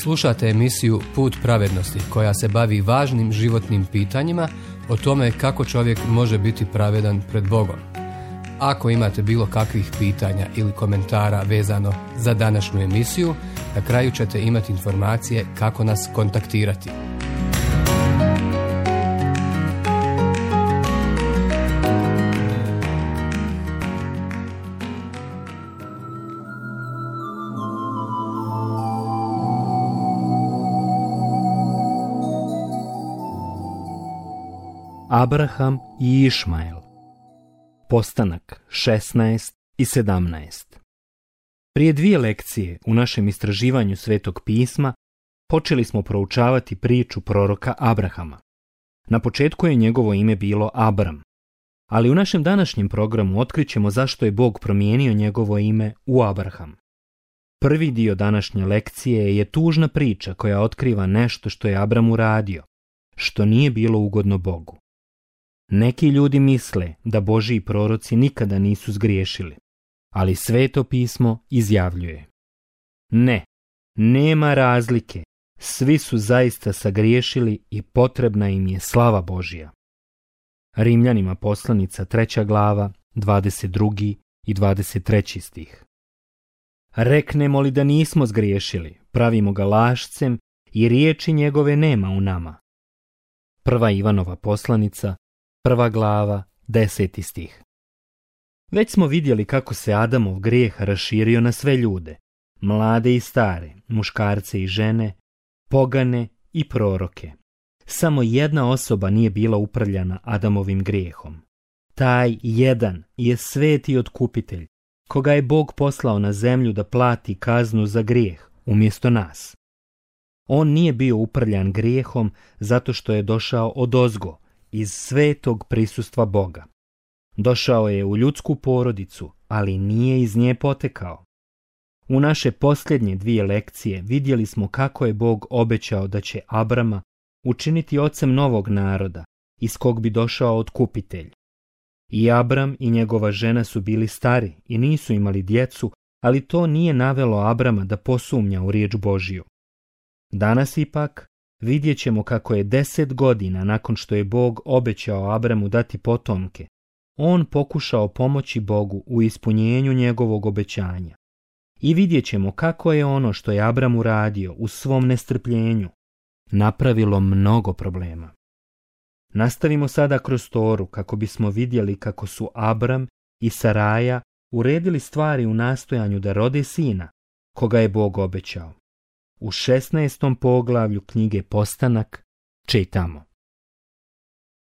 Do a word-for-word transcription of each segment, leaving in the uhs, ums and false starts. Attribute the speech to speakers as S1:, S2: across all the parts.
S1: Slušate emisiju Put pravednosti koja se bavi važnim životnim pitanjima o tome kako čovjek može biti pravedan pred Bogom. Ako imate bilo kakvih pitanja ili komentara vezano za današnju emisiju, na kraju ćete imati informacije kako nas kontaktirati.
S2: Abraham i Išmael. Postanak šesnaest i sedamnaest. Prije dvije lekcije u našem istraživanju Svetog pisma počeli smo proučavati priču proroka Abrahama. Na početku je njegovo ime bilo Abram, ali u našem današnjem programu otkrićemo zašto je Bog promijenio njegovo ime u Abraham. Prvi dio današnje lekcije je tužna priča koja otkriva nešto što je Abram uradio, što nije bilo ugodno Bogu. Neki ljudi misle da Božji proroci nikada nisu zgriješili, ali Sveto pismo izjavljuje: ne, nema razlike, svi su zaista sagriješili i potrebna im je slava Božja. Rimljanima poslanica treća glava, dvadeset drugi i dvadeset treći stih. Reknemo li da nismo zgriješili, pravimo ga lašcem i riječi njegove nema u nama. Prva Ivanova poslanica, prva glava, deseti stih. Već smo vidjeli kako se Adamov grijeh raširio na sve ljude, mlade i stare, muškarce i žene, pogane i proroke. Samo jedna osoba nije bila uprljana Adamovim grijehom. Taj jedan je sveti otkupitelj, koga je Bog poslao na zemlju da plati kaznu za grijeh umjesto nas. On nije bio uprljan grijehom zato što je došao odozgo, iz svetog prisustva Boga. Došao je u ljudsku porodicu, ali nije iz nje potekao. U naše posljednje dvije lekcije vidjeli smo kako je Bog obećao da će Abrama učiniti ocem novog naroda, iz kog bi došao otkupitelj. I Abram i njegova žena su bili stari i nisu imali djecu, ali to nije navelo Abrama da posumnja u riječ Božju. Danas ipak vidjet ćemo kako je deset godina nakon što je Bog obećao Abramu dati potomke, on pokušao pomoći Bogu u ispunjenju njegovog obećanja. I vidjet ćemo kako je ono što je Abram uradio u svom nestrpljenju napravilo mnogo problema. Nastavimo sada kroz Toru kako bismo vidjeli kako su Abram i Saraja uredili stvari u nastojanju da rode sina, koga je Bog obećao. U šesnaestom poglavlju knjige Postanak čitamo: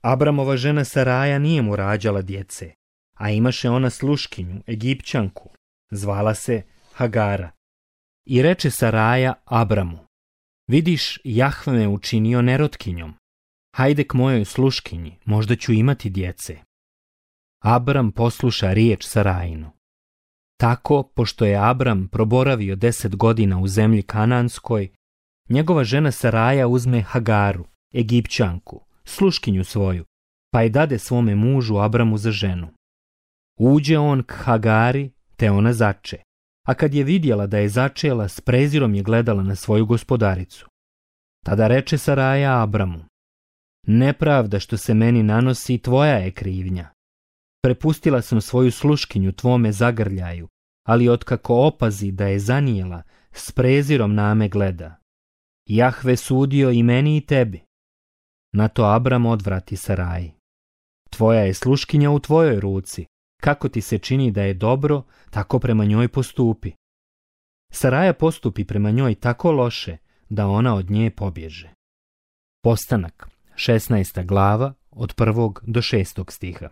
S2: Abramova žena Saraja nije mu rađala djece, a imaše ona sluškinju, Egipćanku, zvala se Hagara. I reče Saraja Abramu: vidiš, Jahve me učinio nerotkinjom, hajde k mojoj sluškinji, možda ću imati djece. Abram posluša riječ Sarajinu. Tako, pošto je Abram proboravio deset godina u zemlji Kananskoj, njegova žena Saraja uzme Hagaru, Egipćanku, sluškinju svoju, pa je dade svome mužu Abramu za ženu. Uđe on k Hagari, te ona zače, a kad je vidjela da je začela, s prezirom je gledala na svoju gospodaricu. Tada reče Saraja Abramu: nepravda što se meni nanosi, tvoja je krivnja. Prepustila sam svoju sluškinju tvome zagrljaju, ali otkako opazi da je zanijela, s prezirom na me gleda. Jahve sudio i meni i tebi. Na to Abram odvrati Saraji: tvoja je sluškinja u tvojoj ruci, kako ti se čini da je dobro, tako prema njoj postupi. Saraja postupi prema njoj tako loše da ona od nje pobježe. Postanak, šesnaesta glava, od prvog do šestog stiha.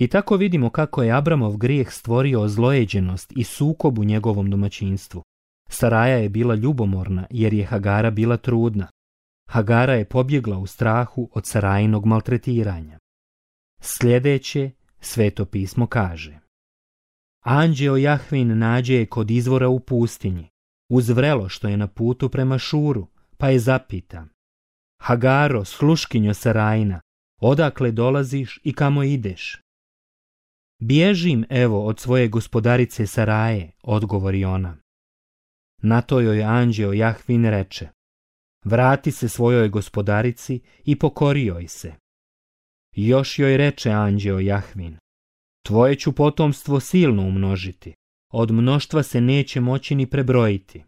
S2: I tako vidimo kako je Abramov grijeh stvorio zlojeđenost i sukob u njegovom domaćinstvu. Saraja je bila ljubomorna jer je Hagara bila trudna. Hagara je pobjegla u strahu od Sarajinog maltretiranja. Sljedeće Sveto pismo kaže: anđeo Jahvin nađe je kod izvora u pustinji, uz vrelo što je na putu prema Šuru, pa je zapita: Hagaro, sluškinjo Sarajina, odakle dolaziš i kamo ideš? Bježim, evo, od svoje gospodarice Saraje, odgovori ona. Na to joj anđeo Jahvin reče: vrati se svojoj gospodarici i pokori joj se. Još joj reče anđeo Jahvin: tvoje ću potomstvo silno umnožiti, od mnoštva se neće moći ni prebrojiti.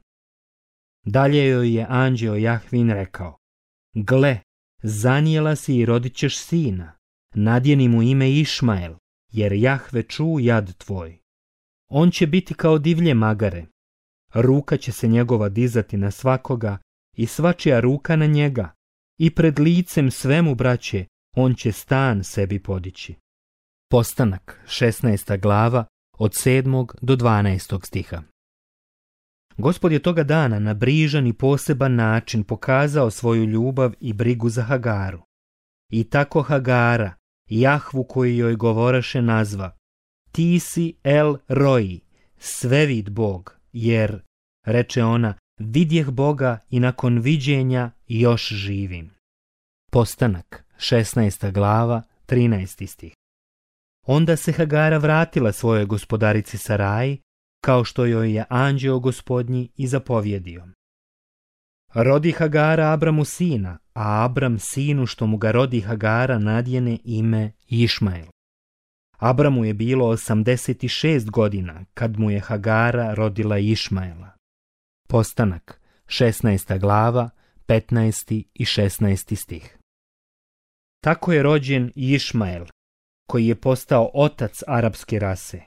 S2: Dalje joj je anđeo Jahvin rekao: gle, zanijela si i rodit ćeš sina, nadjeni mu ime Išmael, jer Jahve ču jad tvoj. On će biti kao divlje magare, ruka će se njegova dizati na svakoga i svačija ruka na njega, i pred licem svemu, braće, on će stan sebi podići. Postanak, šesnaesta glava, od sedmog do dvanaestog stiha. Gospod je toga dana na brižan i poseban način pokazao svoju ljubav i brigu za Hagaru. I tako Hagara, Jahvu koji joj govoraše, nazva: ti si El Roi, svevid Bog, jer, reče ona, vidjeh Boga i nakon viđenja još živim. Postanak, šesnaesta glava, trinaesti stih. Onda se Hagara vratila svojoj gospodarici Saraji, kao što joj je anđeo gospodnji i zapovjedio. Rodi Hagara Abramu sina, a Abram sinu što mu ga rodi Hagara nadjene ime Išmael. Abramu je bilo osamdeset šest godina kad mu je Hagara rodila Išmaela. Postanak, šesnaesta glava, petnaesti i šesnaesti stih. Tako je rođen Išmael, koji je postao otac arapske rase.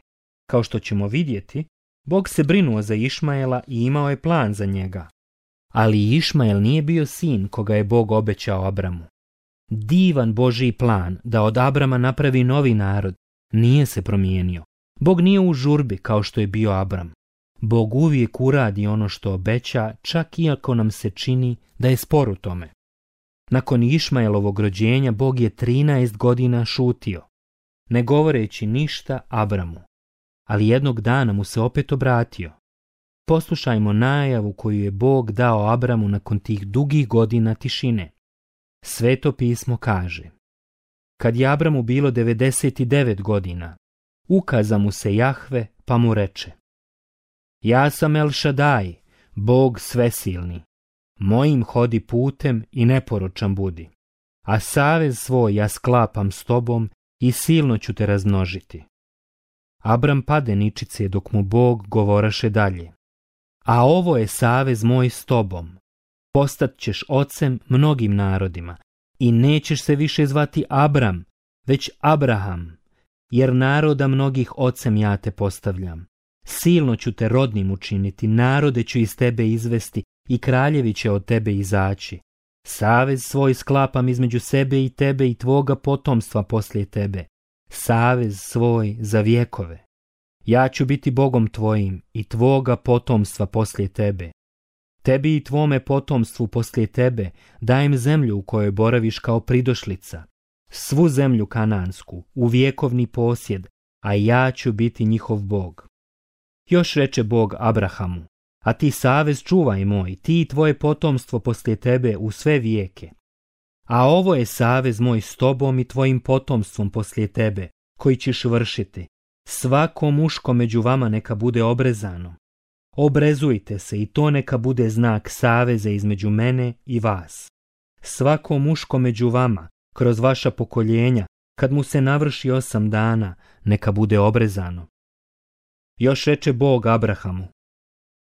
S2: Kao što ćemo vidjeti, Bog se brinuo za Išmaela i imao je plan za njega. Ali Išmael nije bio sin koga je Bog obećao Abramu. Divan Božji plan da od Abrama napravi novi narod nije se promijenio. Bog nije u žurbi kao što je bio Abram. Bog uvijek uradi ono što obeća, čak iako nam se čini da je spor u tome. Nakon Išmaelovog rođenja Bog je trinaest godina šutio, ne govoreći ništa Abramu, ali jednog dana mu se opet obratio. Poslušajmo najavu koju je Bog dao Abramu nakon tih dugih godina tišine. Sveto pismo kaže: kad je Abramu bilo devedeset devet godina, ukaza mu se Jahve pa mu reče: ja sam El Šadaj, Bog svesilni, mojim hodi putem i neporočan budi, a savez svoj ja sklapam s tobom i silno ću te razmnožiti. Abram pade ničice dok mu Bog govoraše dalje: a ovo je savez moj s tobom, postat ćeš ocem mnogim narodima i nećeš se više zvati Abram, već Abraham, jer naroda mnogih ocem ja te postavljam. Silno ću te rodnim učiniti, narode ću iz tebe izvesti i kraljevi će od tebe izaći. Savez svoj sklapam između sebe i tebe i tvoga potomstva poslije tebe, savez svoj za vjekove. Ja ću biti Bogom tvojim i tvoga potomstva poslije tebe. Tebi i tvome potomstvu poslije tebe dajem zemlju u kojoj boraviš kao pridošlica, svu zemlju kanansku, u vjekovni posjed, a ja ću biti njihov Bog. Još reče Bog Abrahamu: a ti savez čuvaj moj, ti i tvoje potomstvo poslije tebe u sve vijeke. A ovo je savez moj s tobom i tvojim potomstvom poslije tebe, koji ćeš vršiti. Svako muško među vama neka bude obrezano. Obrezujte se i to neka bude znak saveza između mene i vas. Svako muško među vama, kroz vaša pokoljenja, kad mu se navrši osam dana, neka bude obrezano. Još reče Bog Abrahamu: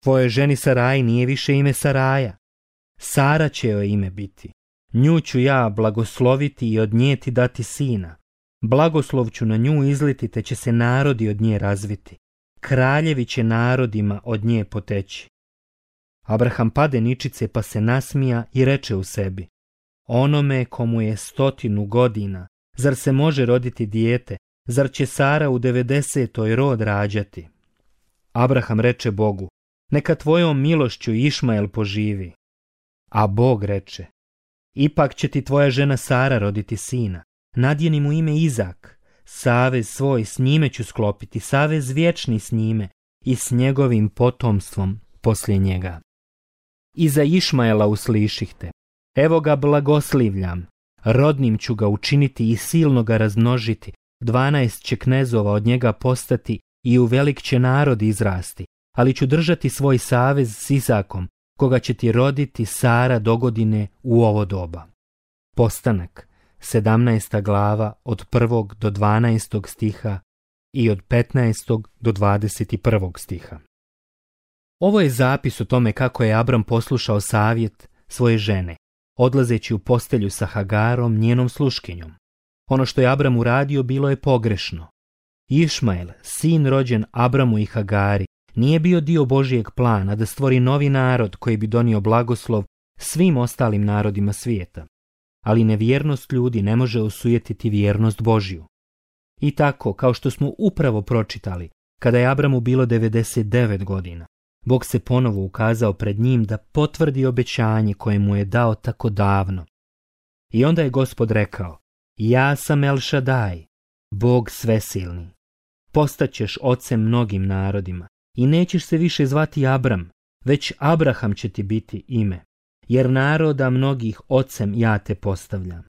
S2: tvojoj ženi Saraji nije više ime Saraja, Sara će joj ime biti. Nju ću ja blagosloviti i od nje ti dati sina. Blagoslov ću na nju izliti, te će se narodi od nje razviti. Kraljevi će narodima od nje poteći. Abraham pade ničice pa se nasmija i reče u sebi: onome komu je stotinu godina, zar se može roditi dijete, zar će Sara u devedesetoj rod rađati? Abraham reče Bogu: neka tvojom milošću Išmael poživi. A Bog reče: ipak će ti tvoja žena Sara roditi sina, nadjeni mu ime Izak, savez svoj s njime ću sklopiti, savez vječni s njime i s njegovim potomstvom poslije njega. I za Išmaela uslišihte: evo ga blagoslivljam, rodnim ću ga učiniti i silno ga razmnožiti, dvanaest će knezova od njega postati i u velik će narod izrasti, ali ću držati svoj savez s Izakom, koga će ti roditi Sara dogodine u ovo doba. Postanak, sedamnaesta glava, od prvog do dvanaestog stiha i od petnaestog do dvadeset prvog stiha. Ovo je zapis o tome kako je Abram poslušao savjet svoje žene, odlazeći u postelju sa Hagarom, njenom sluškinjom. Ono što je Abram uradio bilo je pogrešno. Išmael, sin rođen Abramu i Hagari, nije bio dio Božijeg plana da stvori novi narod koji bi donio blagoslov svim ostalim narodima svijeta. Ali nevjernost ljudi ne može osujetiti vjernost Božju. I tako, kao što smo upravo pročitali, kada je Abramu bilo devedeset devet godina, Bog se ponovo ukazao pred njim da potvrdi obećanje koje mu je dao tako davno. I onda je Gospod rekao: ja sam El Šadaj, Bog svesilni. Postaćeš ocem mnogim narodima i nećeš se više zvati Abram, već Abraham će ti biti ime, jer naroda mnogih ocem ja te postavljam.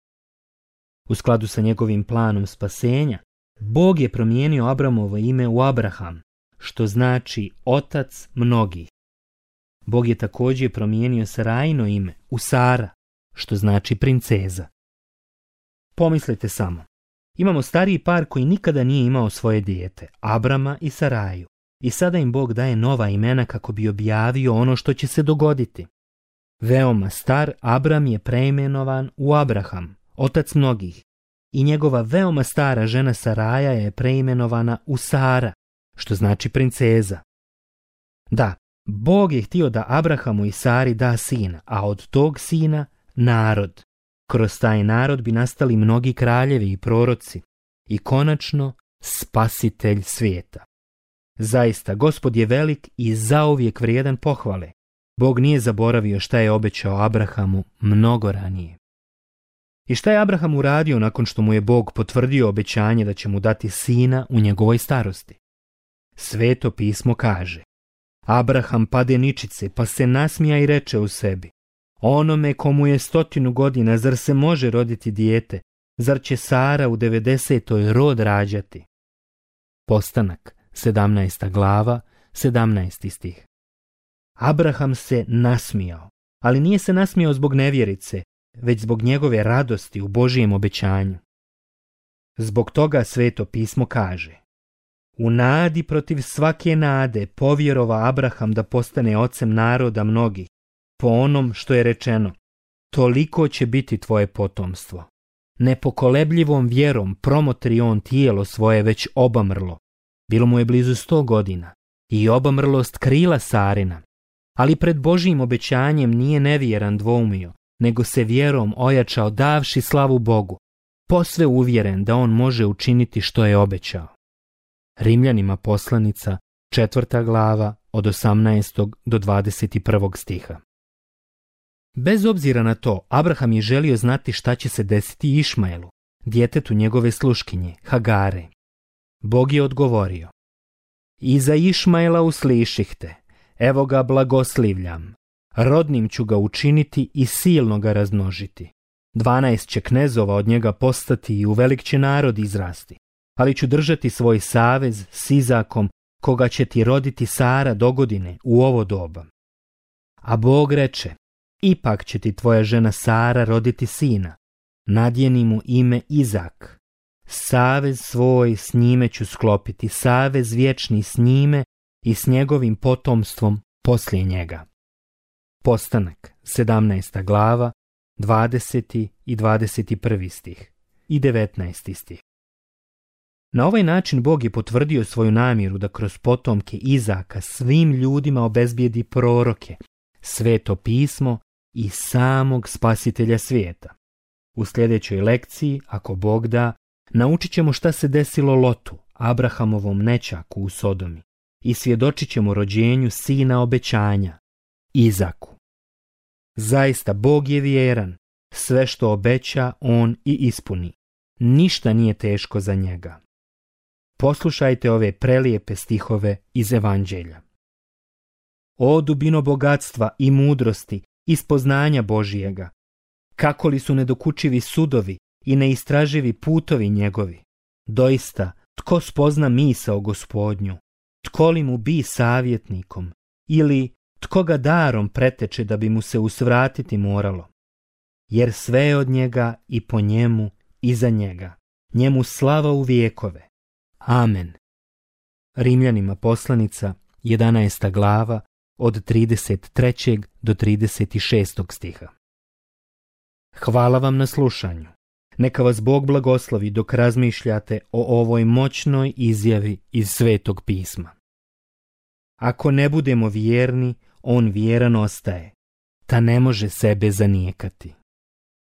S2: U skladu sa njegovim planom spasenja, Bog je promijenio Abramovo ime u Abraham, što znači otac mnogih. Bog je također promijenio Sarajino ime u Sara, što znači princeza. Pomislite samo, imamo stariji par koji nikada nije imao svoje dijete, Abrama i Saraju, i sada im Bog daje nova imena kako bi objavio ono što će se dogoditi. Veoma star Abram je preimenovan u Abraham, otac mnogih, i njegova veoma stara žena Saraja je preimenovana u Sara, što znači princeza. Da, Bog je htio da Abrahamu i Sari da sina, a od tog sina narod. Kroz taj narod bi nastali mnogi kraljevi i proroci i konačno spasitelj svijeta. Zaista, Gospod je velik i zauvijek vrijedan pohvale. Bog nije zaboravio šta je obećao Abrahamu mnogo ranije. I šta je Abraham uradio nakon što mu je Bog potvrdio obećanje da će mu dati sina u njegovoj starosti? Sveto pismo kaže: Abraham pade ničice, pa se nasmija i reče u sebi: onome komu je stotinu godina, zar se može roditi dijete? Zar će Sara u devedesetoj rod rađati? Postanak, sedamnaesta glava, sedamnaesti stih. Abraham se nasmijao, ali nije se nasmijao zbog nevjerice, već zbog njegove radosti u Božijem obećanju. Zbog toga Sveto pismo kaže: u nadi protiv svake nade povjerova Abraham da postane ocem naroda mnogih, po onom što je rečeno: toliko će biti tvoje potomstvo. Nepokolebljivom vjerom promotri on tijelo svoje već obamrlo. Bilo mu je blizu sto godina i obamrlost krila Sarina, ali pred Božijim obećanjem nije nevjeran dvoumio, nego se vjerom ojačao davši slavu Bogu, posve uvjeren da on može učiniti što je obećao. Rimljanima poslanica, četvrta glava, od osamnaestog do dvadeset prvog stiha. Bez obzira na to, Abraham je želio znati šta će se desiti Išmaelu, djetetu njegove sluškinje, Hagare. Bog je odgovorio: i za Išmaela usliših te, evo ga blagoslivljam, rodnim ću ga učiniti i silno ga razmnožiti. Dvanaest će knezova od njega postati i u velik će narod izrasti, ali ću držati svoj savez s Izakom, koga će ti roditi Sara dogodine u ovo doba. A Bog reče: ipak će ti tvoja žena Sara roditi sina, nadjeni mu ime Izak. Savez svoj s njime ću sklopiti, savez vječni s njime i s njegovim potomstvom poslije njega. Postanak, sedamnaesta glava, dvadeseti i dvadeset prvi stih i devetnaesti stih. Na ovaj način Bog je potvrdio svoju namjeru da kroz potomke Izaka svim ljudima obezbijedi proroke, Sveto pismo i samog spasitelja svijeta. U sljedećoj lekciji, ako Bog da, naučit ćemo šta se desilo Lotu, Abrahamovom nećaku u Sodomi, i svjedočit ćemo rođenju sina obećanja, Izaku. Zaista Bog je vjeran, sve što obeća on i ispuni. Ništa nije teško za njega. Poslušajte ove prelijepe stihove iz Evanđelja. O dubino bogatstva i mudrosti i spoznanja Božijega, kako li su nedokučivi sudovi i neistraživi putovi njegovi. Doista, tko spozna misao Gospodnju? tko li mu bi savjetnikom ili tko ga darom preteče da bi mu se usvratiti moralo. Jer sve je od njega i po njemu i za njega. Njemu slava u vijekove. Amen. Rimljanima poslanica, jedanaesta glava, od trideset trećeg do trideset šestog stiha. Hvala vam na slušanju. Neka vas Bog blagoslovi dok razmišljate o ovoj moćnoj izjavi iz Svetog pisma. Ako ne budemo vjerni, on vjeran ostaje, ta ne može sebe zanijekati.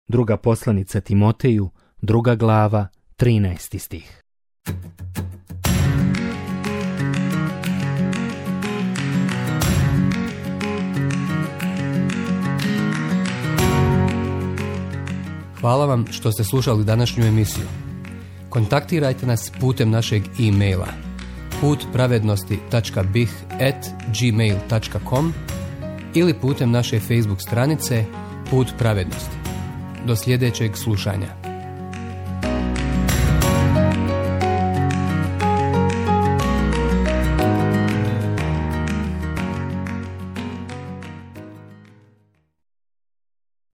S2: Druga poslanica Timoteju, druga glava, trinaesti stih.
S1: Hvala vam što ste slušali današnju emisiju. Kontaktirajte nas putem našeg e-maila put pravednosti tačka b i h at gmail tačka com ili putem naše Facebook stranice Put pravednosti. Do sljedećeg slušanja.